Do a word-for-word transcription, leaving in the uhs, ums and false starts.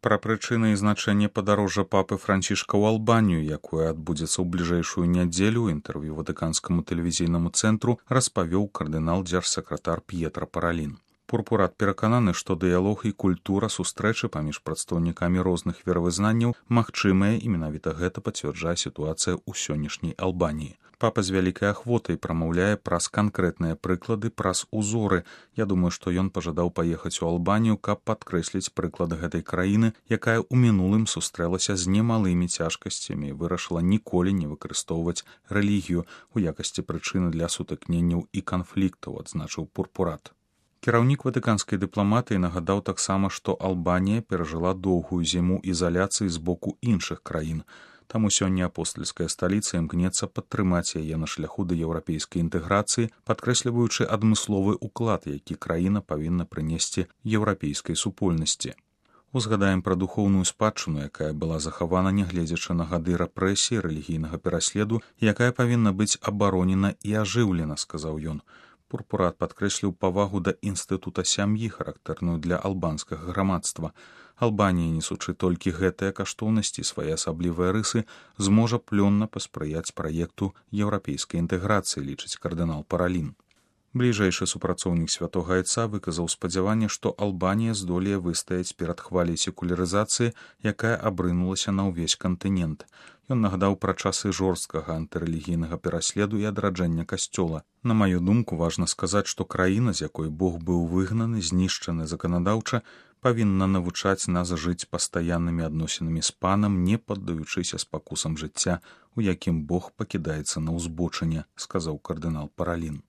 Пра прычыны і значэнне падарожжа папы Францішка ў Албанію, якое адбудзецца ў бліжэйшую нядзелю, у інтэрв'ю ватыканскаму тэлевізійнаму цэнтру распавёў кардынал дзяржсакратар П'етра Паралін. Пурпурат перакананы, што дыялог і культура сустрэчы паміж прадстаўнікамі розных веравызнанняў магчымыя, і менавіта гэта пацвярджае сітуацыя ў сённяшняй Албаніі. Папа з вялікай ахвотай прамаўляе праз канкрэтныя прыклады, праз узоры. Я думаю, што ён пажадаў паехаць у Албанію, каб падкрэсліць прыклад гэтай краіны, якая ў мінулым сустрэлася з немалымі цяжкасцямі і вырашыла ніколі не выкарыстоўваць рэлігію ў якасці прычыны для сутыкненняў і канфліктаў, адзначыў Пурпурат. Кіраўнік ватыканскай дыпламатыі нагадаў таксама, што Албанія перажыла доўгую зіму ізаляцыі з боку іншых краін. Таму сёння апостальская сталіца імкнецца падтрымаць яе на шляху да еўрапейскай інтэграцыі, падкрэсліваючы адмысловы ўклад, які краіна павінна прынесці еўрапейскай супольнасці. Узгадаем пра духоўную спадчыну, якая была захавана нягледзячы на гады рэпрэсіі, рэлігійнага пераследу, якая павінна быць абаронена і ажыўлена, сказаў ён. Пурпурат падкрэсліў павагу да інстытута сям'і, характэрную для албанскага грамадства. Албанія, несучы толькі гэтыя каштоўнасці, свае асаблівыя рысы, зможа плённа паспрыяць праекту еўрапейскай інтэграцыі, лічыць кардынал Паралін. Бліжэйшы супрацоўнік святога айца выказаў спадзяванне, што Албанія здолее выстаяць перад хваляй секулярызацыі, якая абрынулася на ўвесь кантынент. Ён нагадаў пра часы жорсткага антырэлігійнага пераследу і адраджэння касцёла. На маю думку, важна сказаць, што краіна, з якой Бог быў выгнаны, знішчаны заканадаўча, павінна навучаць нас жыць пастаяннымі адносінамі з панам, не паддаючыся спакусам жыцця, у якім Бог пакідаецца на ўзбочыне, сказаў кардынал Паралін.